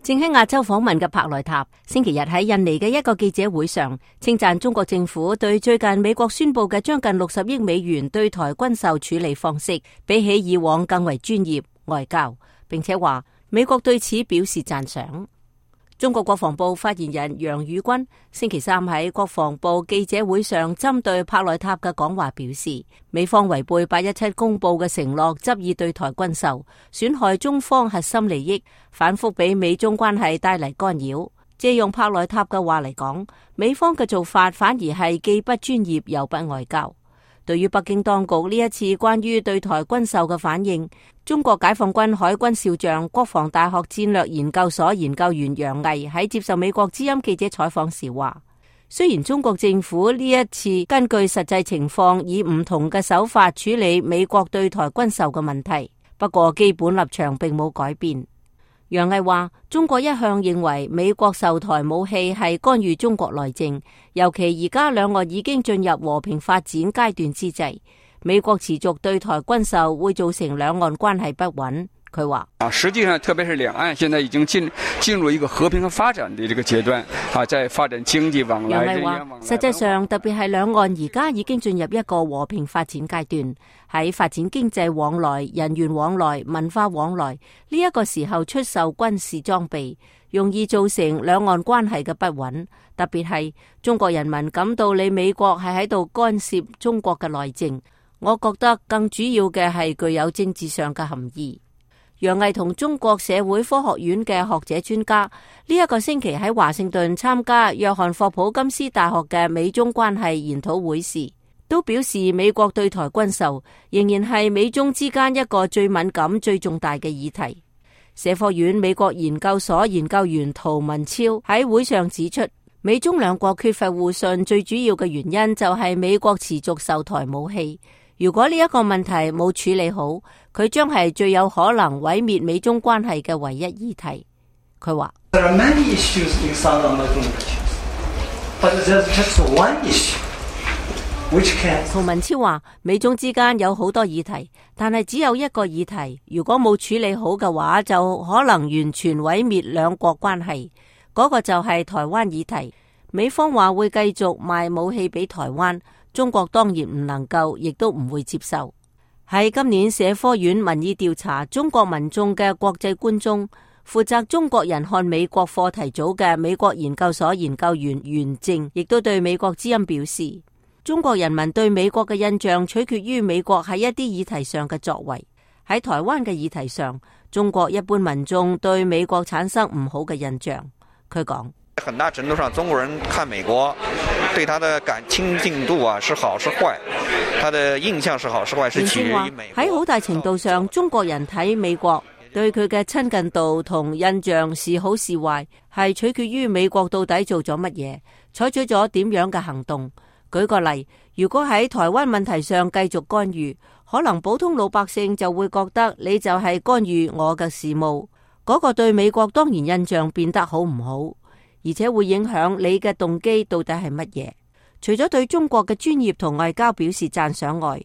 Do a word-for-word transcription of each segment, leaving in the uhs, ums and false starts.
正喺亞洲訪問嘅帕萊塔，星期日喺印尼嘅一個記者會上，稱讚中國政府對最近美國宣布嘅將近六十億美元對台軍售處理方式，比起以往更為專業外交，並且話美國對此表示讚賞。中國國防部發言人楊宇軍星期三喺國防部記者會上針對帕萊塔嘅講話表示，美方違背八一七公布嘅承諾，執意對台軍售，損害中方核心利益，反覆俾美中關係帶嚟干擾。借用帕萊塔嘅話嚟講，美方嘅做法反而係既不專業又不外交。對於北京當局呢一次關於對台軍售嘅反應，中國解放軍海軍少將、國防大學戰略研究所研究員楊毅喺接受美國之音記者採訪時話，雖然中國政府呢一次根據實際情況以唔同嘅手法處理美國對台軍售嘅問題，不過基本立場並冇改變。楊毅話，中國一向認為美國售台武器係干預中國內政，尤其而家兩岸已經進入和平發展階段之際，美國持續對台軍售會造成兩岸關係不穩。佢話：啊，實際上特別是兩岸現在已經進進入一個和平和發展的這個階段，啊，在發展經濟往來。楊毅話：實際上，特別係兩岸而家已經進入一個和平發展階段，喺發展經濟往來、人員往來、文化往來呢一個時候出售軍事裝備，容易造成兩岸關係嘅不穩。特別係中國人民感到你美國係喺度干涉中國嘅內政，我覺得更主要嘅係具有政治上嘅含義。楊毅同中國社會科學院嘅學者專家呢一個星期喺華盛頓參加約翰霍普金斯大學嘅美中關係研討會時，都表示美國對台軍售仍然係美中之間一個最敏感、最重大嘅議題。社科院美國研究所研究員陶文超喺會上指出，美中兩國缺乏互信最主要嘅原因就係美國持續售台武器。如果呢一個問題冇處理好，佢將係最有可能毀滅美中關係嘅唯一議題。佢話：陶文超話，美中之間有好多議題，但係只有一個議題，如果冇處理好嘅話，就可能完全毀滅兩國關係。嗰個就係台灣議題。美方話會繼續賣武器俾台灣。中國當然唔能夠，亦都唔會接受。喺今年社科院民意調查中國民眾嘅國際觀中，負責中國人看美國課題組嘅美國研究所研究員袁正，亦都對美國之音表示，中國人民對美國嘅印象取決於美國喺一啲議題上嘅作為。喺台灣嘅議題上，中國一般民眾對美國產生唔好嘅印象。佢講：很大程度上，中國人看美國，對他的感親近度啊，是好是壞，他的印象是好是壞，是取決於美國。喺好大程度上，中國人睇美國對佢嘅親近度同印象是好是壞，係取決於美國到底做咗乜嘢，採取咗點樣嘅行動。舉個例，如果喺台灣問題上繼續干預，可能普通老百姓就會覺得你就係干預我嘅事務，嗰個對美國當然印象變得好唔好，而且會影響你嘅動機到底係乜嘢。除咗對中國嘅專業同外交表示讚賞外，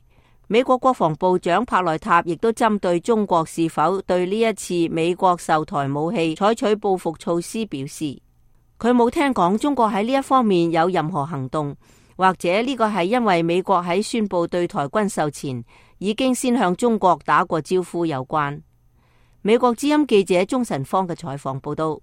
美國國防部長帕萊塔亦都針對中國是否對呢一次美國售台武器採取報復措施表示，佢冇聽講中國喺呢一方面有任何行動，或者呢個係因為美國喺宣布對台軍售前已經先向中國打過招呼有關。美國之音記者鍾晨芳嘅採訪報道。